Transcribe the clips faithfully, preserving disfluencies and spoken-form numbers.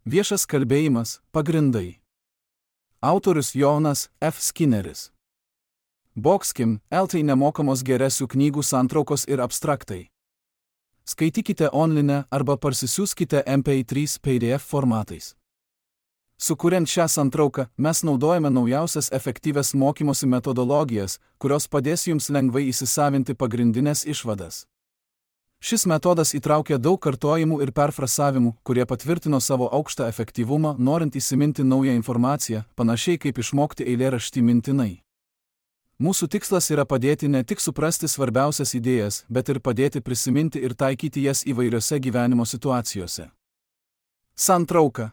Viešas kalbėjimas – pagrindai. Autorius Jonas F. Skinneris. Boxkim, L T nemokamos geresių knygų santraukos ir abstraktai. Skaitykite online arba parsisiųskite M P trys P D F formatais. Sukuriant šią santrauką, mes naudojame naujausias efektyvias mokymosi metodologijas, kurios padės jums lengvai įsisavinti pagrindinės išvadas. Šis metodas įtraukia daug kartojimų ir perfrasavimų, kurie patvirtino savo aukštą efektyvumą, norint įsiminti naują informaciją, panašiai kaip išmokti eilėraštį mintinai. Mūsų tikslas yra padėti ne tik suprasti svarbiausias idėjas, bet ir padėti prisiminti ir taikyti jas įvairiose gyvenimo situacijose. Santrauka.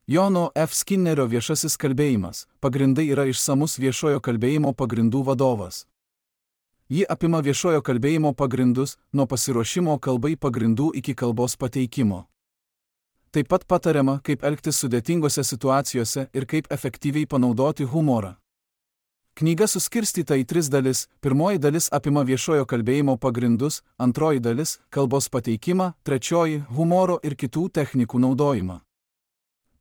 Jono F. Skinnerio viešasis kalbėjimas – pagrindai yra išsamus viešojo kalbėjimo pagrindų vadovas. Ji apima viešojo kalbėjimo pagrindus, nuo pasiruošimo kalbai pagrindų iki kalbos pateikimo. Taip pat patariama, kaip elgtis sudėtingose situacijose ir kaip efektyviai panaudoti humorą. Knyga suskirstyta į tris dalis. Pirmoji dalis apima viešojo kalbėjimo pagrindus, antroji dalis – kalbos pateikimą, trečioji – humoro ir kitų technikų naudojimą.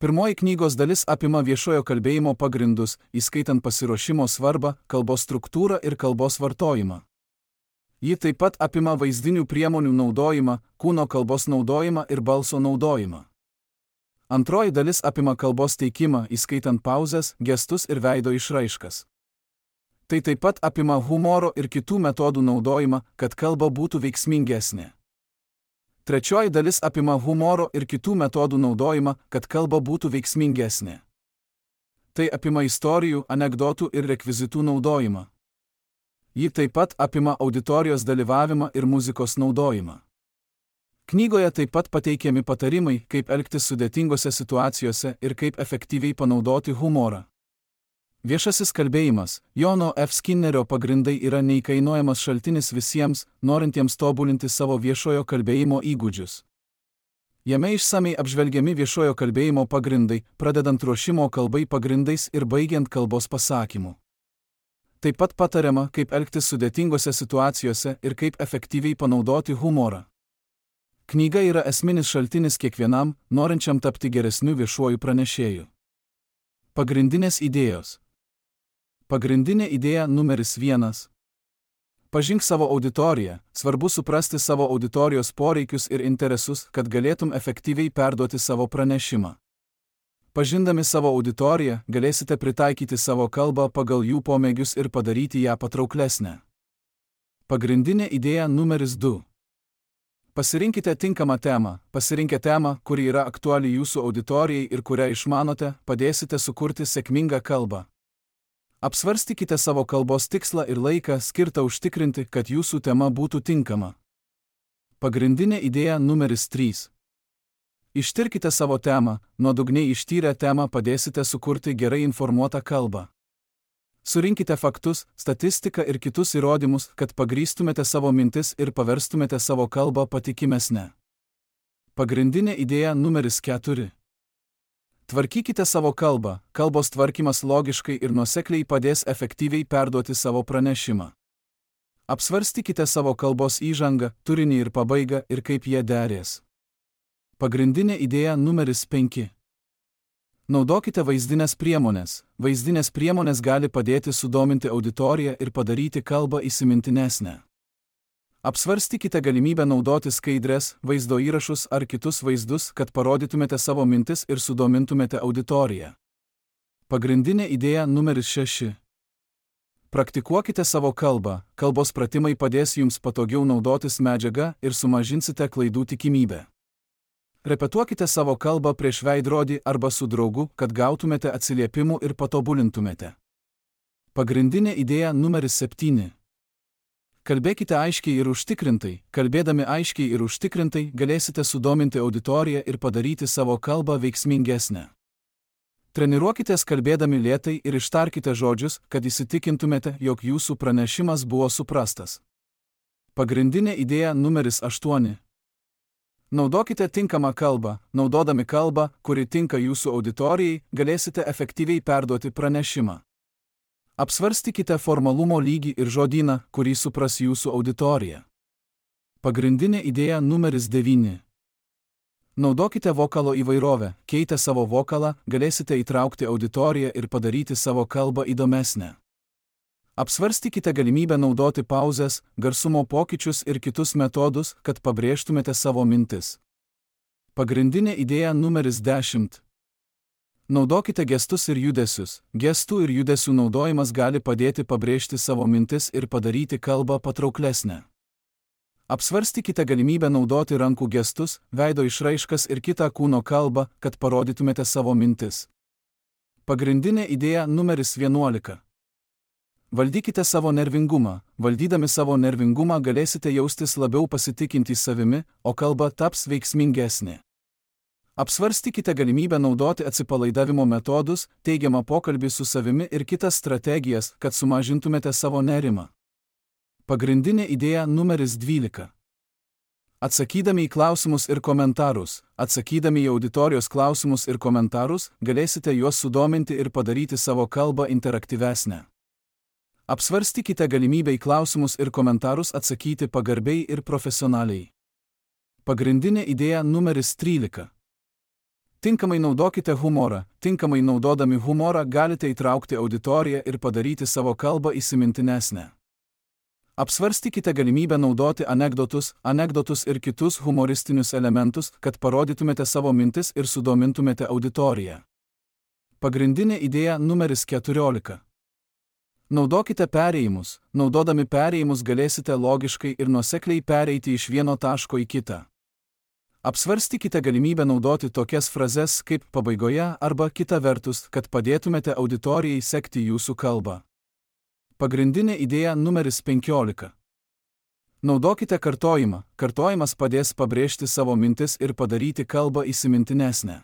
Pirmoji knygos dalis apima viešojo kalbėjimo pagrindus, įskaitant pasiruošimo svarbą, kalbos struktūrą ir kalbos vartojimą. Ji taip pat apima vaizdinių priemonių naudojimą, kūno kalbos naudojimą ir balso naudojimą. Antroji dalis apima kalbos teikimą, įskaitant pauzes, gestus ir veido išraiškas. Tai taip pat apima humoro ir kitų metodų naudojimą, kad kalba būtų veiksmingesnė. Trečioji dalis apima humoro ir kitų metodų naudojimą, kad kalba būtų veiksmingesnė. Tai apima istorijų, anekdotų ir rekvizitų naudojimą. Ji taip pat apima auditorijos dalyvavimą ir muzikos naudojimą. Knygoje taip pat pateikiami patarimai, kaip elgtis sudėtingose situacijose ir kaip efektyviai panaudoti humorą. Viešasis kalbėjimas, Jono F. Skinnerio pagrindai yra neįkainojamas šaltinis visiems, norintiems tobulinti savo viešojo kalbėjimo įgūdžius. Jame išsamei apžvelgiami viešojo kalbėjimo pagrindai, pradedant ruošimo kalbai pagrindais ir baigiant kalbos pasakymu. Taip pat patariama, kaip elgtis sudėtingose situacijose ir kaip efektyviai panaudoti humorą. Knyga yra esminis šaltinis kiekvienam, norinčiam tapti geresniu viešuoju pranešėju. Pagrindinės idėjos. Pagrindinė idėja numeris vienas. Pažink savo auditoriją. Svarbu suprasti savo auditorijos poreikius ir interesus, kad galėtum efektyviai perduoti savo pranešimą. Pažindami savo auditoriją, galėsite pritaikyti savo kalbą pagal jų pomėgius ir padaryti ją patrauklesnę. Pagrindinė idėja numeris du. Pasirinkite tinkamą temą. Pasirinkę temą, kuri yra aktuali jūsų auditorijai ir kurią išmanote, padėsite sukurti sėkmingą kalbą. Apsvarstykite savo kalbos tikslą ir laiką skirtą užtikrinti, kad jūsų tema būtų tinkama. Pagrindinė idėja numeris trys. Ištirkite savo temą, nuodugniai ištyrę temą padėsite sukurti gerai informuotą kalbą. Surinkite faktus, statistiką ir kitus įrodymus, kad pagrįstumėte savo mintis ir paverstumėte savo kalbą patikimesnę. Pagrindinė idėja numeris keturi. Tvarkykite savo kalbą. Kalbos tvarkymas logiškai ir nuosekliai padės efektyviai perduoti savo pranešimą. Apsvarstykite savo kalbos įžangą, turinį ir pabaigą ir kaip jie derės. Pagrindinė idėja numeris penki. Naudokite vaizdinės priemonės. Vaizdinės priemonės gali padėti sudominti auditoriją ir padaryti kalbą įsimintinesnę. Apsvarstykite galimybę naudoti skaidres, vaizdo įrašus ar kitus vaizdus, kad parodytumėte savo mintis ir sudomintumėte auditoriją. Pagrindinė idėja numeris šeši. Praktikuokite savo kalbą. Kalbos pratimai padės jums patogiau naudotis medžiaga ir sumažinsite klaidų tikimybę. Repetuokite savo kalbą prieš veidrodį arba su draugu, kad gautumėte atsiliepimų ir patobulintumėte. Pagrindinė idėja numeris septyni. Kalbėkite aiškiai ir užtikrintai. Kalbėdami aiškiai ir užtikrintai galėsite sudominti auditoriją ir padaryti savo kalbą veiksmingesnę. Treniruokitės kalbėdami lėtai ir ištarkite žodžius, kad įsitikintumėte, jog jūsų pranešimas buvo suprastas. Pagrindinė idėja numeris aštuoni. Naudokite tinkamą kalbą. Naudodami kalbą, kuri tinka jūsų auditorijai, galėsite efektyviai perduoti pranešimą. Apsvarstykite formalumo lygį ir žodyną, kurį supras jūsų auditorija. Pagrindinė idėja numeris devyni. Naudokite vokalo įvairovę, keitę savo vokalą, galėsite įtraukti auditoriją ir padaryti savo kalbą įdomesnę. Apsvarstykite galimybę naudoti pauzes, garsumo pokyčius ir kitus metodus, kad pabrėžtumėte savo mintis. Pagrindinė idėja numeris dešimt. Naudokite gestus ir judesius. Gestų ir judesių naudojimas gali padėti pabrėžti savo mintis ir padaryti kalbą patrauklesnę. Apsvarstykite galimybę naudoti rankų gestus, veido išraiškas ir kitą kūno kalbą, kad parodytumėte savo mintis. Pagrindinė idėja numeris vienuolika. Valdykite savo nervingumą. Valdydami savo nervingumą galėsite jaustis labiau pasitikintys savimi, o kalba taps veiksmingesnė. Apsvarstykite galimybę naudoti atsipalaidavimo metodus, teigiamą pokalbį su savimi ir kitas strategijas, kad sumažintumėte savo nerimą. Pagrindinė idėja numeris dvylika. Atsakydami į klausimus ir komentarus, atsakydami į auditorijos klausimus ir komentarus, galėsite juos sudominti ir padaryti savo kalbą interaktyvesnę. Apsvarstykite galimybę į klausimus ir komentarus atsakyti pagarbiai ir profesionaliai. Pagrindinė idėja numeris trylika. Tinkamai naudokite humorą. Tinkamai naudodami humorą galite įtraukti auditoriją ir padaryti savo kalbą įsimintinesnę. Apsvarstykite galimybę naudoti anekdotus, anekdotus ir kitus humoristinius elementus, kad parodytumėte savo mintis ir sudomintumėte auditoriją. Pagrindinė idėja numeris keturiolika. Naudokite perėjimus. Naudodami perėjimus galėsite logiškai ir nuosekliai pereiti iš vieno taško į kitą. Apsvarstykite galimybę naudoti tokias frazes kaip pabaigoje arba kita vertus, kad padėtumėte auditorijai sekti jūsų kalbą. Pagrindinė idėja numeris penkiolika. Naudokite kartojimą. Kartojimas padės pabrėžti savo mintis ir padaryti kalbą įsimintinesnę.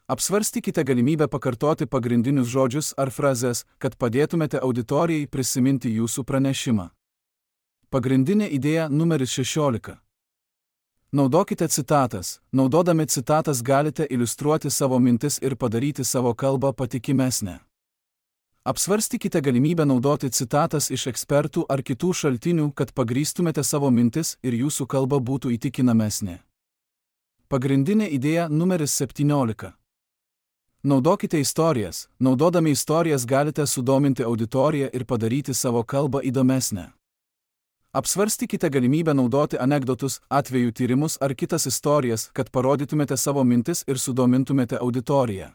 Apsvarstykite galimybę pakartoti pagrindinius žodžius ar frazes, kad padėtumėte auditorijai prisiminti jūsų pranešimą. Pagrindinė idėja numeris šešiolika. Naudokite citatas. Naudodami citatas galite iliustruoti savo mintis ir padaryti savo kalbą patikimesnę. Apsvarstykite galimybę naudoti citatas iš ekspertų ar kitų šaltinių, kad pagrįstumėte savo mintis ir jūsų kalba būtų įtikinamesnė. Pagrindinė idėja numeris septyniolika. Naudokite istorijas. Naudodami istorijas galite sudominti auditoriją ir padaryti savo kalbą įdomesnę. Apsvarstykite galimybę naudoti anekdotus, atvejų tyrimus ar kitas istorijas, kad parodytumėte savo mintis ir sudomintumėte auditoriją.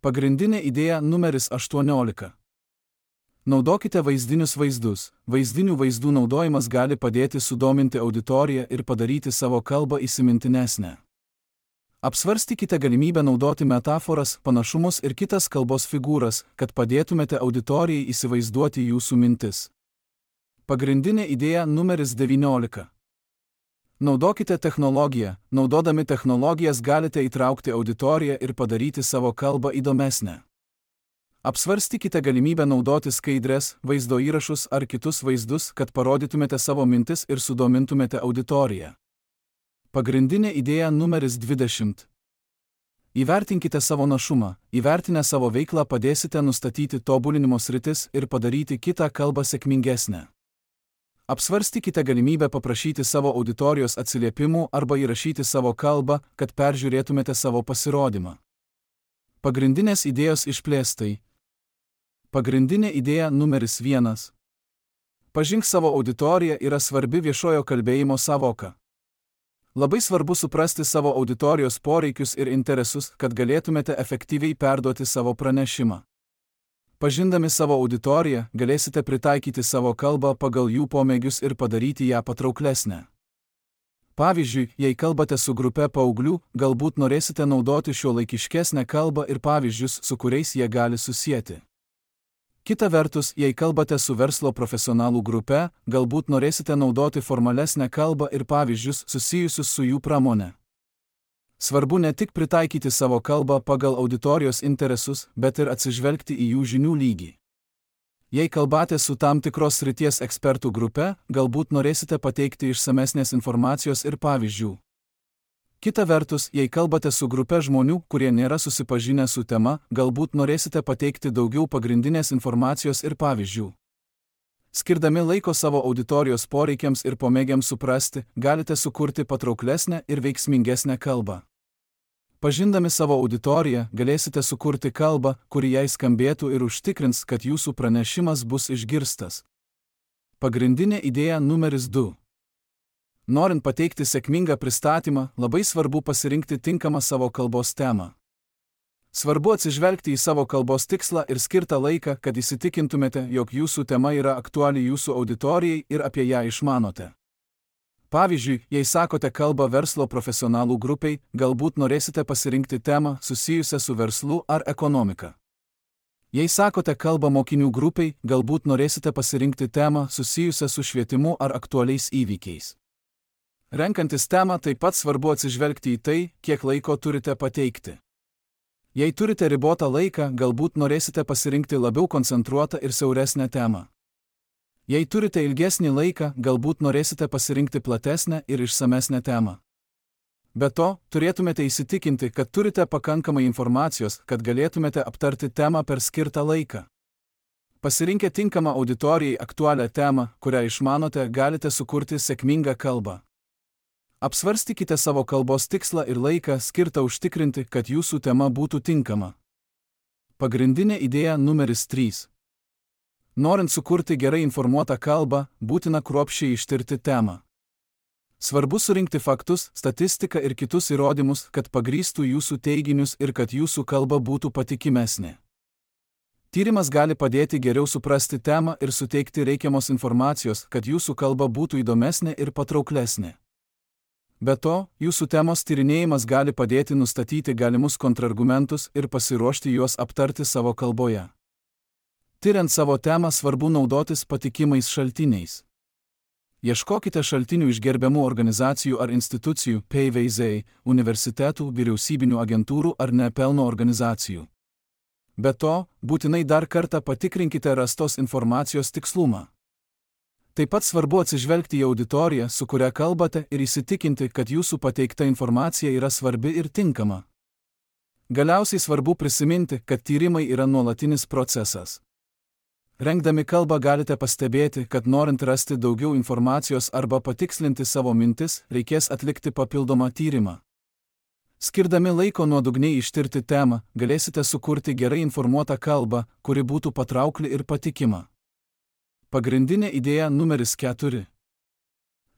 Pagrindinė idėja numeris aštuoniolika. Naudokite vaizdinius vaizdus. Vaizdinių vaizdų naudojimas gali padėti sudominti auditoriją ir padaryti savo kalbą įsimintinesnę. Apsvarstykite galimybę naudoti metaforas, panašumus ir kitas kalbos figūras, kad padėtumėte auditorijai įsivaizduoti jūsų mintis. Pagrindinė idėja numeris devyniolika. Naudokite technologiją. Naudodami technologijas galite įtraukti auditoriją ir padaryti savo kalbą įdomesnę. Apsvarstykite galimybę naudoti skaidres, vaizdo įrašus ar kitus vaizdus, kad parodytumėte savo mintis ir sudomintumėte auditoriją. Pagrindinė idėja numeris dvidešimt. Įvertinkite savo našumą. Įvertinę savo veiklą padėsite nustatyti tobulinimo sritis ir padaryti kitą kalbą sėkmingesnę. Apsvarstykite galimybę paprašyti savo auditorijos atsiliepimų arba įrašyti savo kalbą, kad peržiūrėtumėte savo pasirodymą. Pagrindinės idėjos išplėstai. Pagrindinė idėja numeris vienas. Pažink savo auditoriją yra svarbi viešojo kalbėjimo sąvoka. Labai svarbu suprasti savo auditorijos poreikius ir interesus, kad galėtumėte efektyviai perduoti savo pranešimą. Pažindami savo auditoriją, galėsite pritaikyti savo kalbą pagal jų pomėgius ir padaryti ją patrauklesnę. Pavyzdžiui, jei kalbate su grupe paauglių, galbūt norėsite naudoti šiuolaikiškesnę kalbą ir pavyzdžius, su kuriais jie gali susieti. Kita vertus, jei kalbate su verslo profesionalų grupe, galbūt norėsite naudoti formalesnę kalbą ir pavyzdžius susijusius su jų pramone. Svarbu ne tik pritaikyti savo kalbą pagal auditorijos interesus, bet ir atsižvelgti į jų žinių lygį. Jei kalbate su tam tikros srities ekspertų grupe, galbūt norėsite pateikti išsamesnės informacijos ir pavyzdžių. Kita vertus, jei kalbate su grupe žmonių, kurie nėra susipažinę su tema, galbūt norėsite pateikti daugiau pagrindinės informacijos ir pavyzdžių. Skirdami laiko savo auditorijos poreikiams ir pomėgiams suprasti, galite sukurti patrauklesnę ir veiksmingesnę kalbą. Pažindami savo auditoriją, galėsite sukurti kalbą, kuri jai skambėtų ir užtikrins, kad jūsų pranešimas bus išgirstas. Pagrindinė idėja numeris du. Norint pateikti sėkmingą pristatymą, labai svarbu pasirinkti tinkamą savo kalbos temą. Svarbu atsižvelgti į savo kalbos tikslą ir skirtą laiką, kad įsitikintumėte, jog jūsų tema yra aktuali jūsų auditorijai ir apie ją išmanote. Pavyzdžiui, jei sakote kalbą verslo profesionalų grupiai, galbūt norėsite pasirinkti temą susijusią su verslu ar ekonomika. Jei sakote kalbą mokinių grupiai, galbūt norėsite pasirinkti temą susijusią su švietimu ar aktualiais įvykiais. Renkantis temą taip pat svarbu atsižvelgti į tai, kiek laiko turite pateikti. Jei turite ribotą laiką, galbūt norėsite pasirinkti labiau koncentruotą ir siauresnę temą. Jei turite ilgesnį laiką, galbūt norėsite pasirinkti platesnę ir išsamesnę temą. Be to, turėtumėte įsitikinti, kad turite pakankamai informacijos, kad galėtumėte aptarti temą per skirtą laiką. Pasirinkę tinkamą auditorijai aktualią temą, kurią išmanote, galite sukurti sėkmingą kalbą. Apsvarstykite savo kalbos tikslą ir laiką skirtą užtikrinti, kad jūsų tema būtų tinkama. Pagrindinė idėja numeris trys. Norint sukurti gerai informuotą kalbą, būtina kruopščiai ištirti temą. Svarbu surinkti faktus, statistiką ir kitus įrodymus, kad pagrįstų jūsų teiginius ir kad jūsų kalba būtų patikimesnė. Tyrimas gali padėti geriau suprasti temą ir suteikti reikiamos informacijos, kad jūsų kalba būtų įdomesnė ir patrauklesnė. Be to, jūsų temos tyrinėjimas gali padėti nustatyti galimus kontrargumentus ir pasiruošti juos aptarti savo kalboje. Tyriant savo temą svarbu naudotis patikimais šaltiniais. Ieškokite šaltinių iš gerbiamų organizacijų ar institucijų, P V Z, universitetų, vyriausybinių agentūrų ar nepelno organizacijų. Be to, būtinai dar kartą patikrinkite rastos informacijos tikslumą. Taip pat svarbu atsižvelgti į auditoriją, su kuria kalbate, ir įsitikinti, kad jūsų pateikta informacija yra svarbi ir tinkama. Galiausiai svarbu prisiminti, kad tyrimai yra nuolatinis procesas. Rengdami kalbą galite pastebėti, kad norint rasti daugiau informacijos arba patikslinti savo mintis, reikės atlikti papildomą tyrimą. Skirdami laiko nuodugniai ištirti temą, galėsite sukurti gerai informuotą kalbą, kuri būtų patraukli ir patikima. Pagrindinė idėja numeris keturi.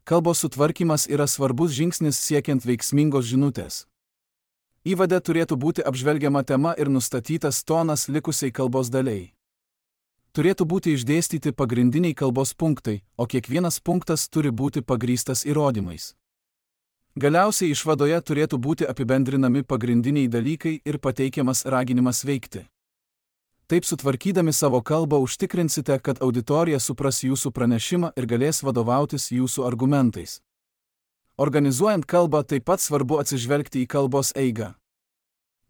Kalbos sutvarkymas yra svarbus žingsnis siekiant veiksmingos žinutės. Įvade turėtų būti apžvelgiama tema ir nustatytas tonas likusiai kalbos daliai. Turėtų būti išdėstyti pagrindiniai kalbos punktai, o kiekvienas punktas turi būti pagrįstas įrodymais. Galiausiai išvadoje turėtų būti apibendrinami pagrindiniai dalykai ir pateikiamas raginimas veikti. Taip sutvarkydami savo kalbą užtikrinsite, kad auditorija supras jūsų pranešimą ir galės vadovautis jūsų argumentais. Organizuojant kalbą taip pat svarbu atsižvelgti į kalbos eigą.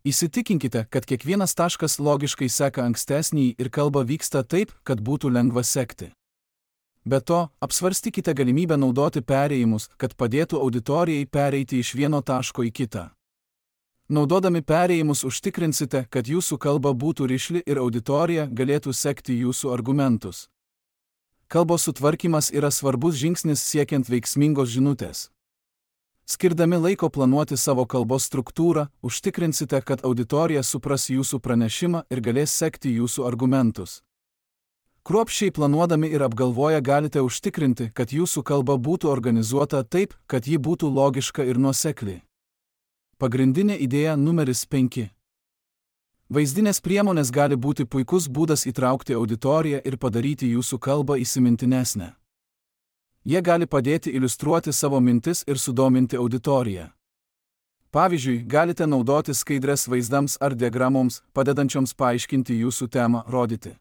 Įsitikinkite, kad kiekvienas taškas logiškai seka ankstesnį ir kalba vyksta taip, kad būtų lengva sekti. Be to, apsvarstykite galimybę naudoti perėjimus, kad padėtų auditorijai pereiti iš vieno taško į kitą. Naudodami perėjimus užtikrinsite, kad jūsų kalba būtų rišli ir auditorija galėtų sekti jūsų argumentus. Kalbos sutvarkymas yra svarbus žingsnis siekiant veiksmingos žinutės. Skirdami laiko planuoti savo kalbos struktūrą, užtikrinsite, kad auditorija supras jūsų pranešimą ir galės sekti jūsų argumentus. Kruopščiai planuodami ir apgalvoję galite užtikrinti, kad jūsų kalba būtų organizuota taip, kad ji būtų logiška ir nuosekli. Pagrindinė idėja numeris penki. Vaizdinės priemonės gali būti puikus būdas įtraukti auditoriją ir padaryti jūsų kalbą įsimintinesnę. Jie gali padėti iliustruoti savo mintis ir sudominti auditoriją. Pavyzdžiui, galite naudoti skaidres vaizdams ar diagramoms, padedančioms paaiškinti jūsų temą, rodyti.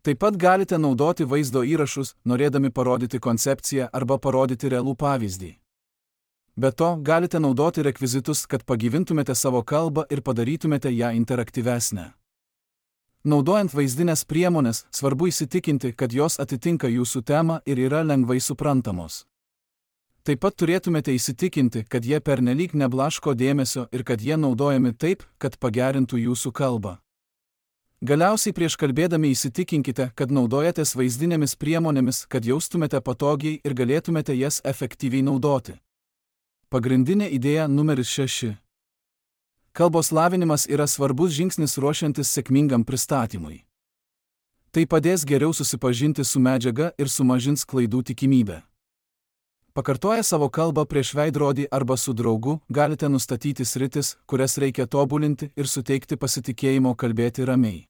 Taip pat galite naudoti vaizdo įrašus, norėdami parodyti koncepciją arba parodyti realų pavyzdį. Be to, galite naudoti rekvizitus, kad pagyvintumėte savo kalbą ir padarytumėte ją interaktyvesnę. Naudojant vaizdinės priemonės, svarbu įsitikinti, kad jos atitinka jūsų temą ir yra lengvai suprantamos. Taip pat turėtumėte įsitikinti, kad jie pernelyg neblaško dėmesio ir kad jie naudojami taip, kad pagerintų jūsų kalbą. Galiausiai prieš kalbėdami įsitikinkite, kad naudojatės vaizdinėmis priemonėmis, kad jaustumėte patogiai ir galėtumėte jas efektyviai naudoti. Pagrindinė idėja numeris šeši. Kalbos lavinimas yra svarbus žingsnis ruošiantis sėkmingam pristatymui. Tai padės geriau susipažinti su medžiaga ir sumažins klaidų tikimybę. Pakartoję savo kalbą prieš veidrodį arba su draugu, galite nustatyti sritis, kurias reikia tobulinti ir suteikti pasitikėjimo kalbėti ramiai.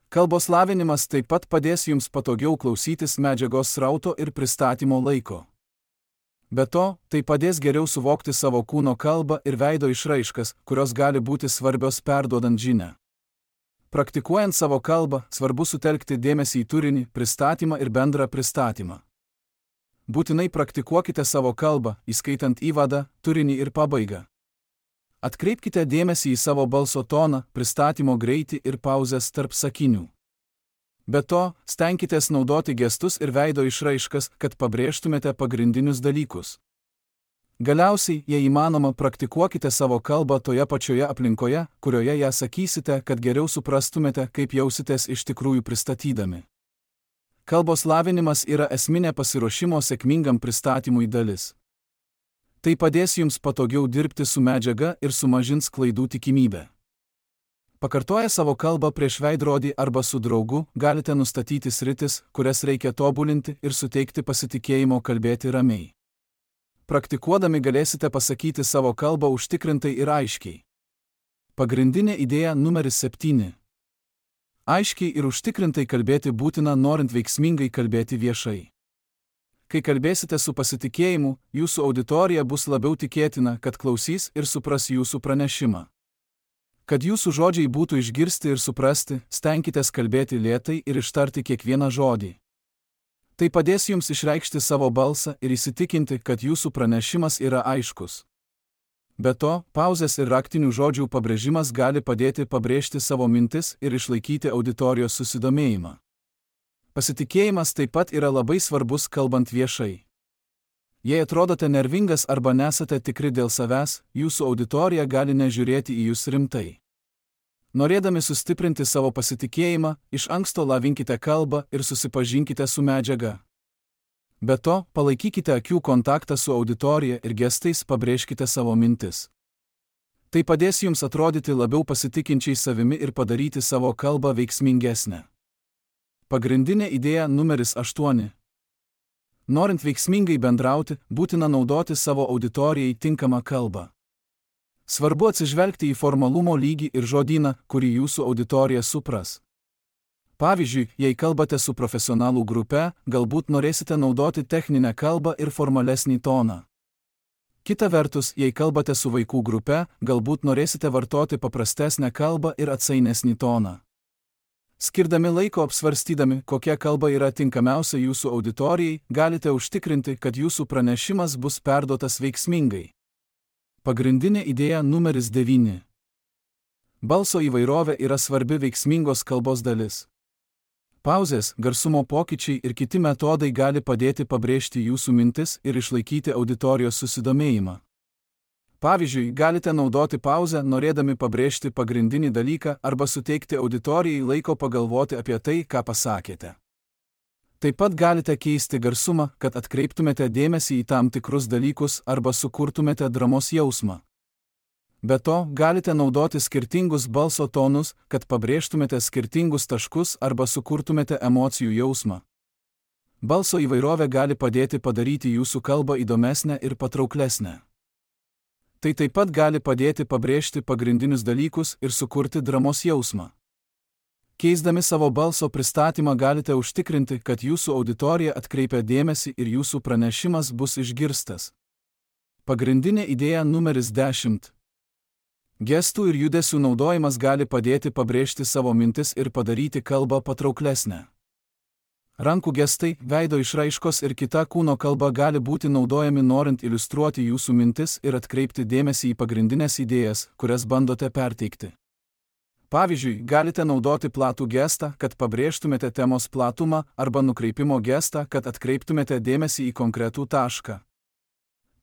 Kalbos lavinimas taip pat padės jums patogiau klausytis medžiagos srauto ir pristatymo laiko. Be to, tai padės geriau suvokti savo kūno kalbą ir veido išraiškas, kurios gali būti svarbios perduodant žinią. Praktikuojant savo kalbą, svarbu sutelkti dėmesį į turinį, pristatymą ir bendrą pristatymą. Būtinai praktikuokite savo kalbą, įskaitant įvadą, turinį ir pabaigą. Atkreipkite dėmesį į savo balso toną, pristatymo greitį ir pauzes tarp sakinių. Be to, stenkitės naudoti gestus ir veido išraiškas, kad pabrėžtumėte pagrindinius dalykus. Galiausiai, jei įmanoma, praktikuokite savo kalbą toje pačioje aplinkoje, kurioje ją sakysite, kad geriau suprastumėte, kaip jausitės iš tikrųjų pristatydami. Kalbos lavinimas yra esminė pasiruošimo sėkmingam pristatymui dalis. Tai padės jums patogiau dirbti su medžiaga ir sumažins klaidų tikimybę. Pakartoję savo kalbą prieš veidrodį arba su draugu, galite nustatyti sritis, kurias reikia tobulinti ir suteikti pasitikėjimo kalbėti ramiai. Praktikuodami galėsite pasakyti savo kalbą užtikrintai ir aiškiai. Pagrindinė idėja numeris septyni. Aiškiai ir užtikrintai kalbėti būtina, norint veiksmingai kalbėti viešai. Kai kalbėsite su pasitikėjimu, jūsų auditorija bus labiau tikėtina, kad klausys ir supras jūsų pranešimą. Kad jūsų žodžiai būtų išgirsti ir suprasti, stenkitės kalbėti lėtai ir ištarti kiekvieną žodį. Tai padės jums išreikšti savo balsą ir įsitikinti, kad jūsų pranešimas yra aiškus. Be to, pauzės ir raktinių žodžių pabrėžimas gali padėti pabrėžti savo mintis ir išlaikyti auditorijos susidomėjimą. Pasitikėjimas taip pat yra labai svarbus kalbant viešai. Jei atrodote nervingas arba nesate tikri dėl savęs, jūsų auditorija gali nežiūrėti į jūs rimtai. Norėdami sustiprinti savo pasitikėjimą, iš anksto lavinkite kalbą ir susipažinkite su medžiaga. Be to, palaikykite akių kontaktą su auditorija ir gestais pabrėžkite savo mintis. Tai padės jums atrodyti labiau pasitikinčiai savimi ir padaryti savo kalbą veiksmingesnę. Pagrindinė idėja numeris aštuoni. Norint veiksmingai bendrauti, būtina naudoti savo auditorijai tinkamą kalbą. Svarbu atsižvelgti į formalumo lygį ir žodyną, kurį jūsų auditorija supras. Pavyzdžiui, jei kalbate su profesionalų grupe, galbūt norėsite naudoti techninę kalbą ir formalesnį toną. Kita vertus, jei kalbate su vaikų grupe, galbūt norėsite vartoti paprastesnę kalbą ir atsainesnį toną. Skirdami laiko apsvarstydami, kokia kalba yra tinkamiausia jūsų auditorijai, galite užtikrinti, kad jūsų pranešimas bus perduotas veiksmingai. Pagrindinė idėja numeris devyni. Balso įvairovė yra svarbi veiksmingos kalbos dalis. Pauzės, garsumo pokyčiai ir kiti metodai gali padėti pabrėžti jūsų mintis ir išlaikyti auditorijos susidomėjimą. Pavyzdžiui, galite naudoti pauzę, norėdami pabrėžti pagrindinį dalyką arba suteikti auditorijai laiko pagalvoti apie tai, ką pasakėte. Taip pat galite keisti garsumą, kad atkreiptumėte dėmesį į tam tikrus dalykus arba sukurtumėte dramos jausmą. Be to, galite naudoti skirtingus balso tonus, kad pabrėžtumėte skirtingus taškus arba sukurtumėte emocijų jausmą. Balso įvairovė gali padėti padaryti jūsų kalbą įdomesnę ir patrauklesnę. Tai taip pat gali padėti pabrėžti pagrindinius dalykus ir sukurti dramos jausmą. Keisdami savo balso pristatymą galite užtikrinti, kad jūsų auditorija atkreipia dėmesį ir jūsų pranešimas bus išgirstas. Pagrindinė idėja numeris dešimt. Gestų ir judesių naudojimas gali padėti pabrėžti savo mintis ir padaryti kalbą patrauklesnę. Rankų gestai, veido išraiškos ir kita kūno kalba gali būti naudojami norint iliustruoti jūsų mintis ir atkreipti dėmesį į pagrindinės idėjas, kurias bandote perteikti. Pavyzdžiui, galite naudoti platų gestą, kad pabrėžtumėte temos platumą, arba nukreipimo gestą, kad atkreiptumėte dėmesį į konkretų tašką.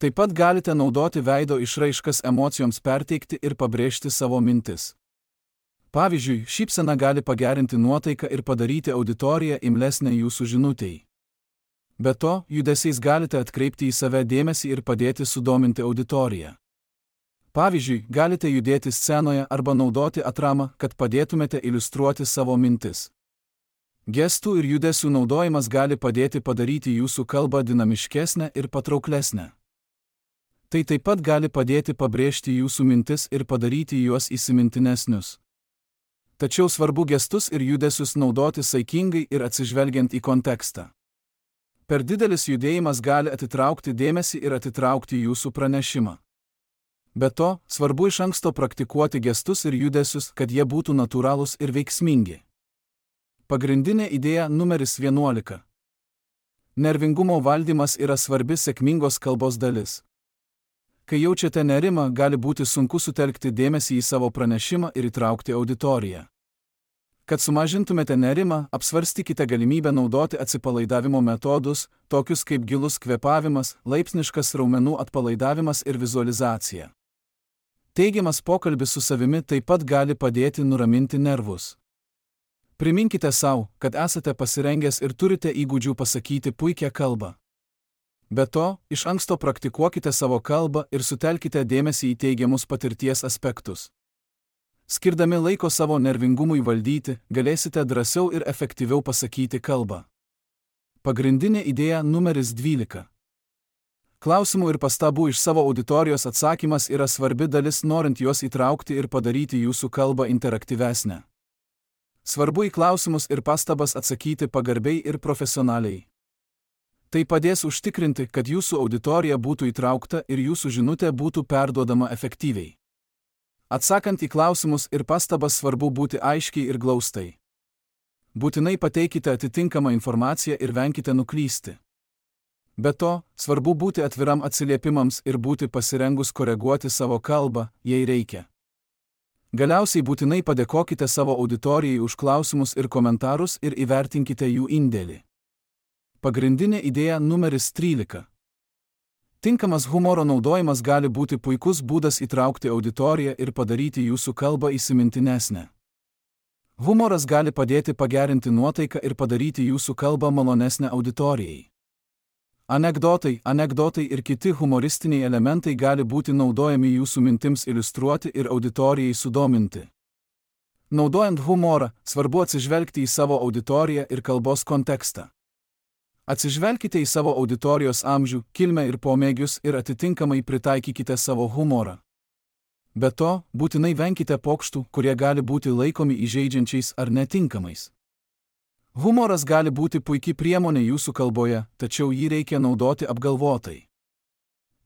Taip pat galite naudoti veido išraiškas emocijoms perteikti ir pabrėžti savo mintis. Pavyzdžiui, šypsena gali pagerinti nuotaiką ir padaryti auditoriją imlesnę jūsų žinutei. Be to, judesiais galite atkreipti į save dėmesį ir padėti sudominti auditoriją. Pavyzdžiui, galite judėti scenoje arba naudoti atramą, kad padėtumėte iliustruoti savo mintis. Gestų ir judesių naudojimas gali padėti padaryti jūsų kalbą dinamiškesnę ir patrauklesnę. Tai taip pat gali padėti pabrėžti jūsų mintis ir padaryti juos įsimintinesnius. Tačiau svarbu gestus ir judesius naudoti saikingai ir atsižvelgiant į kontekstą. Per didelis judėjimas gali atitraukti dėmesį ir atitraukti jūsų pranešimą. Be to, svarbu iš anksto praktikuoti gestus ir judesius, kad jie būtų natūralūs ir veiksmingi. Pagrindinė idėja numeris vienuolika. Nervingumo valdymas yra svarbi sėkmingos kalbos dalis. Kai jaučiate nerimą, gali būti sunku sutelkti dėmesį į savo pranešimą ir įtraukti auditoriją. Kad sumažintumėte nerimą, apsvarstykite galimybę naudoti atsipalaidavimo metodus, tokius kaip gilus kvėpavimas, laipsniškas raumenų atpalaidavimas ir vizualizacija. Teigiamas pokalbis su savimi taip pat gali padėti nuraminti nervus. Priminkite sau, kad esate pasirengęs ir turite įgūdžių pasakyti puikią kalbą. Be to, iš anksto praktikuokite savo kalbą ir sutelkite dėmesį į teigiamus patirties aspektus. Skirdami laiko savo nervingumui valdyti, galėsite drąsiau ir efektyviau pasakyti kalbą. Pagrindinė idėja numeris dvylika. Klausimų ir pastabų iš savo auditorijos atsakymas yra svarbi dalis, norint juos įtraukti ir padaryti jūsų kalbą interaktyvesnę. Svarbu į klausimus ir pastabas atsakyti pagarbiai ir profesionaliai. Tai padės užtikrinti, kad jūsų auditorija būtų įtraukta ir jūsų žinutė būtų perduodama efektyviai. Atsakant į klausimus ir pastabas svarbu būti aiškiai ir glaustai. Būtinai pateikite atitinkamą informaciją ir venkite nuklysti. Be to, svarbu būti atviram atsiliepimams ir būti pasirengus koreguoti savo kalbą, jei reikia. Galiausiai būtinai padėkokite savo auditorijai už klausimus ir komentarus ir įvertinkite jų indėlį. Pagrindinė idėja numeris trylika. Tinkamas humoro naudojimas gali būti puikus būdas įtraukti auditoriją ir padaryti jūsų kalbą įsimintinesnę. Humoras gali padėti pagerinti nuotaiką ir padaryti jūsų kalbą malonesnę auditorijai. Anekdotai, anekdotai ir kiti humoristiniai elementai gali būti naudojami jūsų mintims iliustruoti ir auditorijai sudominti. Naudojant humorą, svarbu atsižvelgti į savo auditoriją ir kalbos kontekstą. Atsižvelkite į savo auditorijos amžių, kilmę ir pomėgius ir atitinkamai pritaikykite savo humorą. Be to, būtinai venkite pokštų, kurie gali būti laikomi įžeidžiančiais ar netinkamais. Humoras gali būti puikia priemonė jūsų kalboje, tačiau jį reikia naudoti apgalvotai.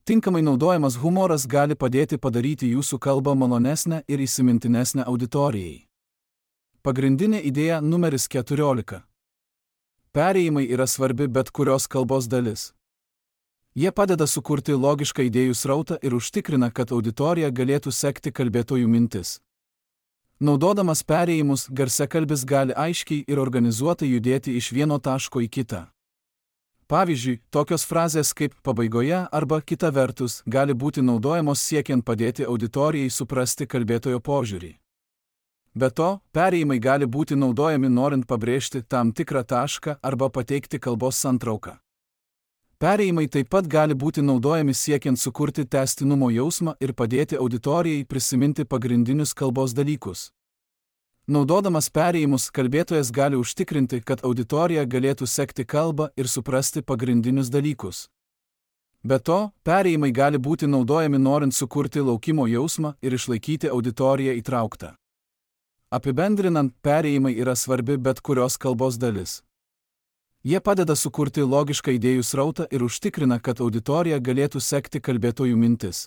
Tinkamai naudojamas humoras gali padėti padaryti jūsų kalbą malonesnę ir įsimintinesnę auditorijai. Pagrindinė idėja numeris keturiolika. Perėjimai yra svarbi bet kurios kalbos dalis. Jie padeda sukurti logišką idėjų srautą ir užtikrina, kad auditorija galėtų sekti kalbėtojų mintis. Naudodamas perėjimus, garsiakalbis gali aiškiai ir organizuotai judėti iš vieno taško į kitą. Pavyzdžiui, tokios frazės kaip pabaigoje arba kita vertus gali būti naudojamos siekiant padėti auditorijai suprasti kalbėtojo požiūrį. Be to, perėjimai gali būti naudojami norint pabrėžti tam tikrą tašką arba pateikti kalbos santrauką. Perėjimai taip pat gali būti naudojami siekiant sukurti tęstinumo jausmą ir padėti auditorijai prisiminti pagrindinius kalbos dalykus. Naudodamas perėjimus, kalbėtojas gali užtikrinti, kad auditorija galėtų sekti kalbą ir suprasti pagrindinius dalykus. Be to, perėjimai gali būti naudojami norint sukurti laukimo jausmą ir išlaikyti auditoriją įtrauktą. Apibendrinant, perėjimai yra svarbi bet kurios kalbos dalis. Jie padeda sukurti logišką idėjų srautą ir užtikrina, kad auditorija galėtų sekti kalbėtojų mintis.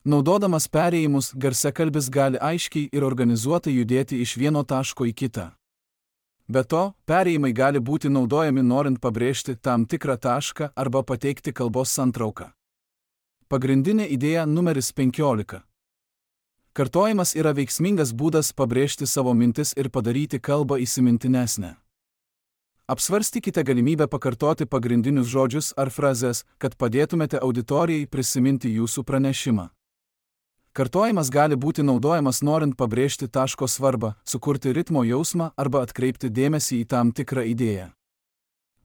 Naudodamas perėjimus, garsiakalbis gali aiškiai ir organizuotai judėti iš vieno taško į kitą. Be to, perėjimai gali būti naudojami norint pabrėžti tam tikrą tašką arba pateikti kalbos santrauką. Pagrindinė idėja numeris penkiolika. Kartojimas yra veiksmingas būdas pabrėžti savo mintis ir padaryti kalbą įsimintinesnę. Apsvarstykite galimybę pakartoti pagrindinius žodžius ar frazes, kad padėtumėte auditorijai prisiminti jūsų pranešimą. Kartojimas gali būti naudojamas norint pabrėžti taško svarbą, sukurti ritmo jausmą arba atkreipti dėmesį į tam tikrą idėją.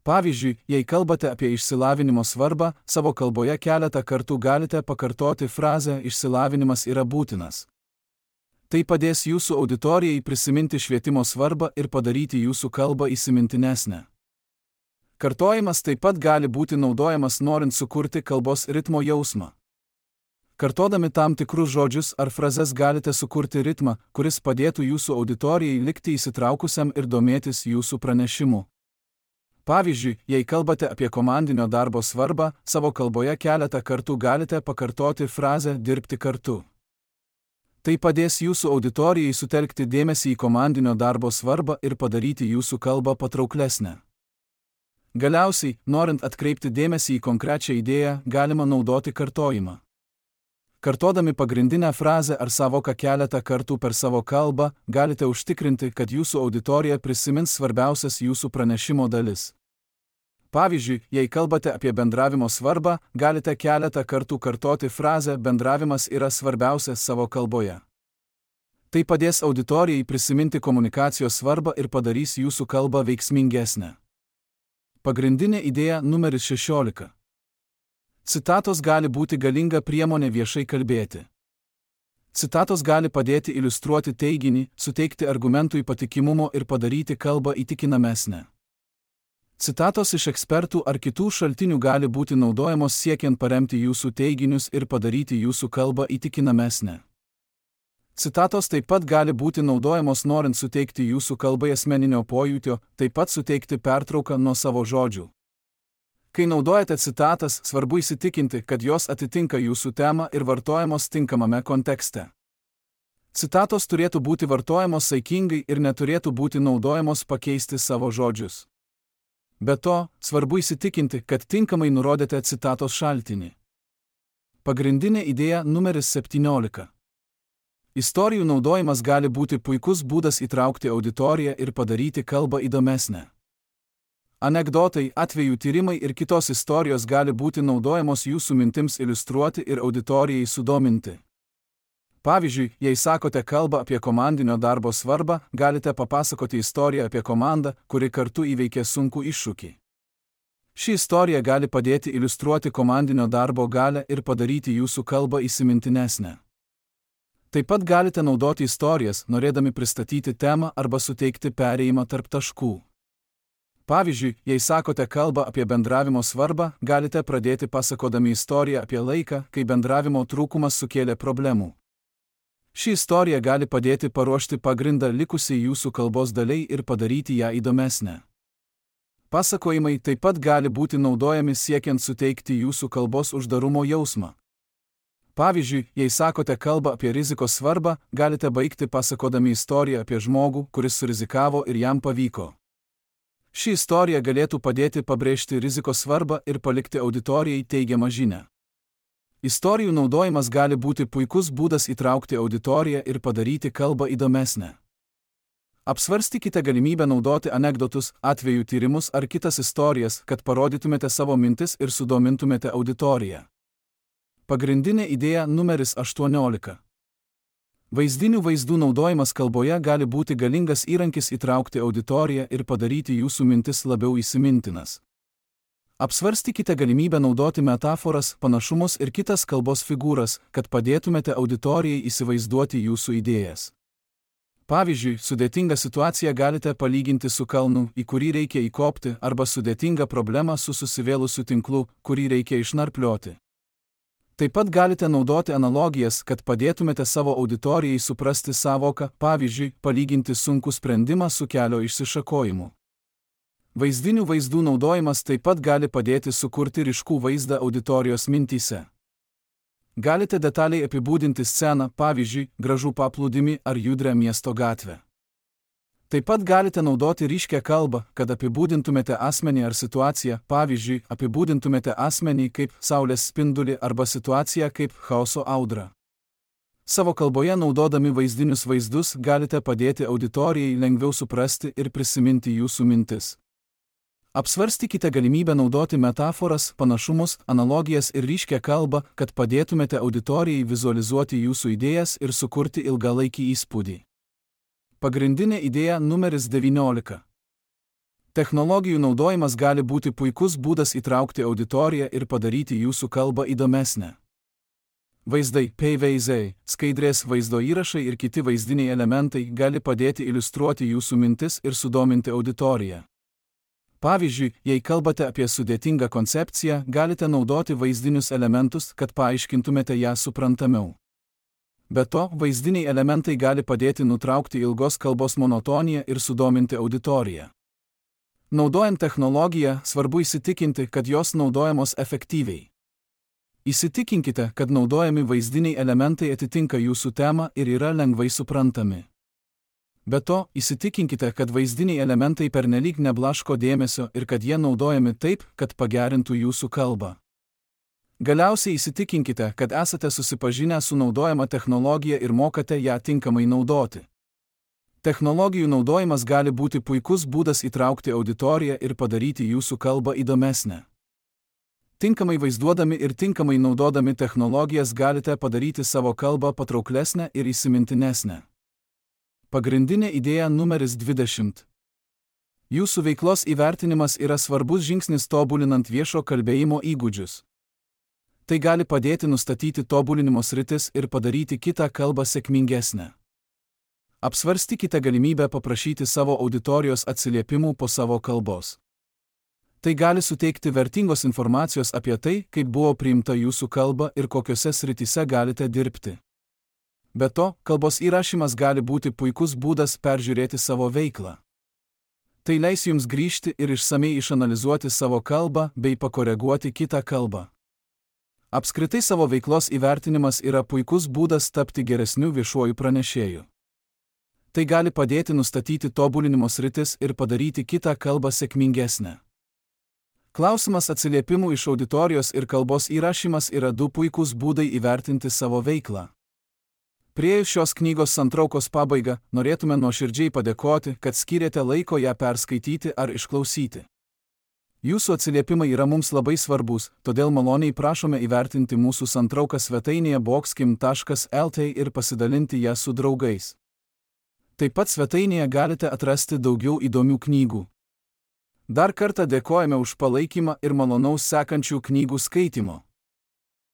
Pavyzdžiui, jei kalbate apie išsilavinimo svarbą, savo kalboje keletą kartų galite pakartoti frazę "išsilavinimas yra būtinas". Tai padės jūsų auditorijai prisiminti švietimo svarbą ir padaryti jūsų kalbą įsimintinesnę. Kartojimas taip pat gali būti naudojamas norint sukurti kalbos ritmo jausmą. Kartodami tam tikrus žodžius ar frazes galite sukurti ritmą, kuris padėtų jūsų auditorijai likti įsitraukusiam ir domėtis jūsų pranešimu. Pavyzdžiui, jei kalbate apie komandinio darbo svarbą, savo kalboje keletą kartų galite pakartoti frazę "dirbti kartu". Tai padės jūsų auditorijai sutelkti dėmesį į komandinio darbo svarbą ir padaryti jūsų kalbą patrauklesnę. Galiausiai, norint atkreipti dėmesį į konkrečią idėją, galima naudoti kartojimą. Kartodami pagrindinę frazę ar sąvoką keletą kartų per savo kalbą, galite užtikrinti, kad jūsų auditorija prisimins svarbiausias jūsų pranešimo dalis. Pavyzdžiui, jei kalbate apie bendravimo svarbą, galite keletą kartų kartoti frazę "bendravimas yra svarbiausias" savo kalboje. Tai padės auditorijai prisiminti komunikacijos svarbą ir padarys jūsų kalbą veiksmingesnę. Pagrindinė idėja numeris šešiolika. Citatos gali būti galinga priemonė viešai kalbėti. Citatos gali padėti iliustruoti teiginį, suteikti argumentui patikimumo ir padaryti kalbą įtikinamesnę. Citatos iš ekspertų ar kitų šaltinių gali būti naudojamos siekiant paremti jūsų teiginius ir padaryti jūsų kalbą įtikinamesnę. Citatos taip pat gali būti naudojamos norint suteikti jūsų kalbai asmeninio pojūtio, taip pat suteikti pertrauką nuo savo žodžių. Kai naudojate citatas, svarbu įsitikinti, kad jos atitinka jūsų temą ir vartojamos tinkamame kontekste. Citatos turėtų būti vartojamos saikingai ir neturėtų būti naudojamos pakeisti savo žodžius. Be to, svarbu įsitikinti, kad tinkamai nurodėte citatos šaltinį. Pagrindinė idėja numeris septyniolika. Istorijų naudojimas gali būti puikus būdas įtraukti auditoriją ir padaryti kalbą įdomesnę. Anekdotai, atvejų tyrimai ir kitos istorijos gali būti naudojamos jūsų mintims iliustruoti ir auditorijai sudominti. Pavyzdžiui, jei sakote kalbą apie komandinio darbo svarbą, galite papasakoti istoriją apie komandą, kuri kartu įveikė sunkų iššūkį. Ši istorija gali padėti iliustruoti komandinio darbo galią ir padaryti jūsų kalbą įsimintinesnę. Taip pat galite naudoti istorijas, norėdami pristatyti temą arba suteikti perėjimą tarp taškų. Pavyzdžiui, jei sakote kalbą apie bendravimo svarbą, galite pradėti pasakodami istoriją apie laiką, kai bendravimo trūkumas sukėlė problemų. Ši istorija gali padėti paruošti pagrindą likusiai jūsų kalbos daliai ir padaryti ją įdomesnę. Pasakojimai taip pat gali būti naudojami siekiant suteikti jūsų kalbos uždarumo jausmą. Pavyzdžiui, jei sakote kalbą apie rizikos svarbą, galite baigti pasakodami istoriją apie žmogų, kuris surizikavo ir jam pavyko. Ši istorija galėtų padėti pabrėžti rizikos svarbą ir palikti auditorijai teigiamą žinią. Istorijų naudojimas gali būti puikus būdas įtraukti auditoriją ir padaryti kalbą įdomesnę. Apsvarstykite galimybę naudoti anekdotus, atvejų tyrimus ar kitas istorijas, kad parodytumėte savo mintis ir sudomintumėte auditoriją. Pagrindinė idėja numeris aštuoniolika. Vaizdinių vaizdų naudojimas kalboje gali būti galingas įrankis įtraukti auditoriją ir padaryti jūsų mintis labiau įsimintinas. Apsvarstykite galimybę naudoti metaforas, panašumus ir kitas kalbos figūras, kad padėtumėte auditorijai įsivaizduoti jūsų idėjas. Pavyzdžiui, sudėtingą situaciją galite palyginti su kalnu, į kurį reikia įkopti, arba sudėtingą problemą su susivėlusiu tinklu, kurį reikia išnarplioti. Taip pat galite naudoti analogijas, kad padėtumėte savo auditorijai suprasti sąvoką, pavyzdžiui, palyginti sunkų sprendimą su kelio išsišakojimu. Vaizdinių vaizdų naudojimas taip pat gali padėti sukurti ryškų vaizdą auditorijos mintyse. Galite detaliai apibūdinti sceną, pavyzdžiui, gražų paplūdimį ar judrią miesto gatvę. Taip pat galite naudoti ryškią kalbą, kad apibūdintumėte asmenį ar situaciją, pavyzdžiui, apibūdintumėte asmenį kaip saulės spindulį arba situaciją kaip chaoso audrą. Savo kalboje naudodami vaizdinius vaizdus galite padėti auditorijai lengviau suprasti ir prisiminti jūsų mintis. Apsvarstykite galimybę naudoti metaforas, panašumus, analogijas ir ryškią kalbą, kad padėtumėte auditorijai vizualizuoti jūsų idėjas ir sukurti ilgalaikį įspūdį. Pagrindinė idėja numeris devyniolika. Technologijų naudojimas gali būti puikus būdas įtraukti auditoriją ir padaryti jūsų kalbą įdomesnę. Vaizdai, paveizdai, skaidrės vaizdo įrašai ir kiti vaizdiniai elementai gali padėti iliustruoti jūsų mintis ir sudominti auditoriją. Pavyzdžiui, jei kalbate apie sudėtingą koncepciją, galite naudoti vaizdinius elementus, kad paaiškintumėte ją suprantamiau. Be to, vaizdiniai elementai gali padėti nutraukti ilgos kalbos monotoniją ir sudominti auditoriją. Naudojant technologiją, svarbu įsitikinti, kad jos naudojamos efektyviai. Įsitikinkite, kad naudojami vaizdiniai elementai atitinka jūsų temą ir yra lengvai suprantami. Be to, įsitikinkite, kad vaizdiniai elementai pernelyg neblaško dėmesio ir kad jie naudojami taip, kad pagerintų jūsų kalbą. Galiausiai įsitikinkite, kad esate susipažinę su naudojama technologija ir mokate ją tinkamai naudoti. Technologijų naudojimas gali būti puikus būdas įtraukti auditoriją ir padaryti jūsų kalbą įdomesnę. Tinkamai vaizduodami ir tinkamai naudodami technologijas galite padaryti savo kalbą patrauklesnę ir įsimintinesnę. Pagrindinė idėja numeris dvidešimt. Jūsų veiklos įvertinimas yra svarbus žingsnis tobulinant viešo kalbėjimo įgūdžius. Tai gali padėti nustatyti tobulinimo sritis ir padaryti kitą kalbą sėkmingesnę. Apsvarstykite galimybę paprašyti savo auditorijos atsiliepimų po savo kalbos. Tai gali suteikti vertingos informacijos apie tai, kaip buvo priimta jūsų kalba ir kokiose srityse galite dirbti. Be to, kalbos įrašymas gali būti puikus būdas peržiūrėti savo veiklą. Tai leis jums grįžti ir išsamei išanalizuoti savo kalbą bei pakoreguoti kitą kalbą. Apskritai savo veiklos įvertinimas yra puikus būdas tapti geresniu viešuoju pranešėju. Tai gali padėti nustatyti tobulinimo sritis ir padaryti kitą kalbą sėkmingesnę. Klausimas atsiliepimų iš auditorijos ir kalbos įrašymas yra du puikūs būdai įvertinti savo veiklą. Priėjus šios knygos santraukos pabaigą, norėtume nuoširdžiai padėkoti, kad skyrėte laiko ją perskaityti ar išklausyti. Jūsų atsiliepimai yra mums labai svarbus, todėl maloniai prašome įvertinti mūsų santrauką svetainėje boxkim taškas lt ir pasidalinti ją su draugais. Taip pat svetainėje galite atrasti daugiau įdomių knygų. Dar kartą dėkojame už palaikymą ir malonaus sekančių knygų skaitimo.